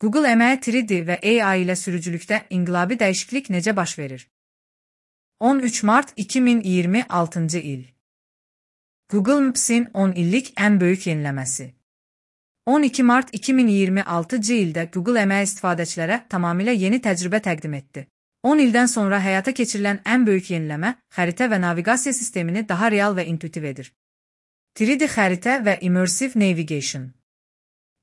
Google əməyi 3D və AI ilə sürücülükdə inqilabi dəyişiklik necə baş verir? 13 mart 2026-cı il. Google Maps'in 10 illik ən böyük yeniləməsi. 12 mart 2026-cı ildə Google əməyi istifadəçilərə tamamilə yeni təcrübə təqdim etdi. 10 ildən sonra həyata keçirilən ən böyük yeniləmə xəritə və naviqasiya sistemini daha real və intuitiv edir. 3D xəritə və Immersive Navigation.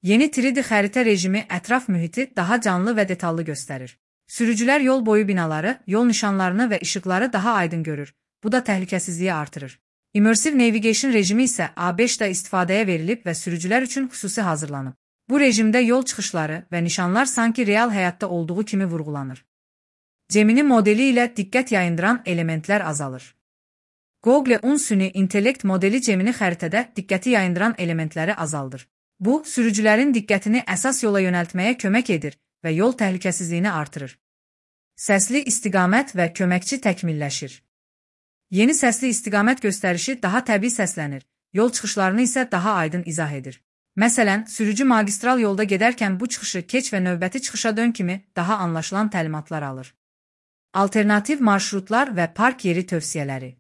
Yeni 3D xəritə rejimi ətraf mühiti daha canlı və detallı göstərir. Sürücülər yol boyu binaları, yol nişanlarını və işıqları daha aydın görür. Bu da təhlükəsizliyi artırır. Immersive Navigation rejimi isə A5-də istifadəyə verilib və sürücülər üçün xüsusi hazırlanıb. Bu rejimdə yol çıxışları və nişanlar sanki real həyatda olduğu kimi vurğulanır. Gemini modeli ilə diqqət yayındıran elementlər azalır. Google süni intellekt modeli Gemini xəritədə diqqəti yayındıran elementləri azaldır. Bu, sürücülərin diqqətini əsas yola yönəltməyə kömək edir və yol təhlükəsizliyini artırır. Səsli istiqamət və köməkçi təkmilləşir. Yeni səsli istiqamət göstərişi daha təbii səslənir, yol çıxışlarını isə daha aydın izah edir. Məsələn, sürücü magistral yolda gedərkən bu çıxışı keç və növbəti çıxışa dön kimi daha anlaşılan təlimatlar alır. Alternativ marşrutlar və park yeri tövsiyələri.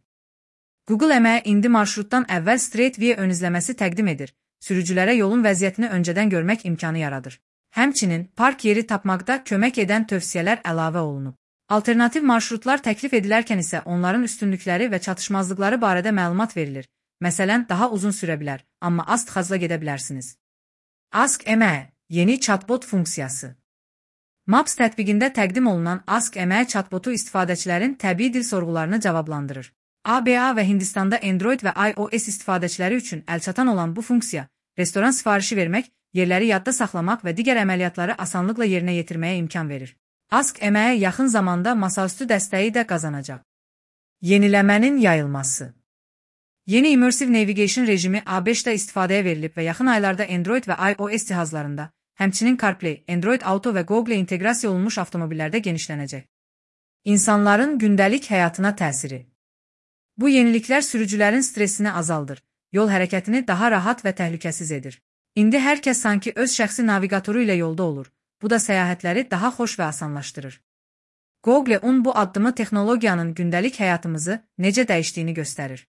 Google əməyi indi marşrutdan əvvəl Straight View ön izləməsi təqdim edir. Sürücülərə yolun vəziyyətini öncədən görmək imkanı yaradır. Həmçinin, park yeri tapmaqda kömək edən tövsiyələr əlavə olunub. Alternativ marşrutlar təklif edilərkən isə onların üstünlükləri və çatışmazlıqları barədə məlumat verilir. Məsələn, daha uzun sürə bilər, amma az tıxacla gedə bilərsiniz. Ask əməyi, yeni chatbot funksiyası. Maps tətbiqində təqdim olunan Ask əməyi chatbotu istifadəçilərin təbii dil sorğularını cavablandırır. ABA və Hindistanda Android və iOS istifadəçiləri üçün əlçatan olan bu funksiya, restoran sifarişi vermək, yerləri yadda saxlamaq və digər əməliyyatları asanlıqla yerinə yetirməyə imkan verir. Ask əməyi yaxın zamanda masaüstü dəstəyi də qazanacaq. Yeniləmənin yayılması. Yeni Immersive Navigation rejimi A5-də istifadəyə verilib və yaxın aylarda Android və iOS cihazlarında, həmçinin CarPlay, Android Auto və Google inteqrasiya olunmuş avtomobillərdə genişlənəcək. İnsanların gündəlik həyatına təsiri. Bu yeniliklər sürücülərin stresini azaldır, yol hərəkətini daha rahat və təhlükəsiz edir. İndi hər kəs sanki öz şəxsi naviqatoru ilə yolda olur. Bu da səyahətləri daha xoş və asanlaşdırır. Google bu addımı texnologiyanın gündəlik həyatımızı necə dəyişdiyini göstərir.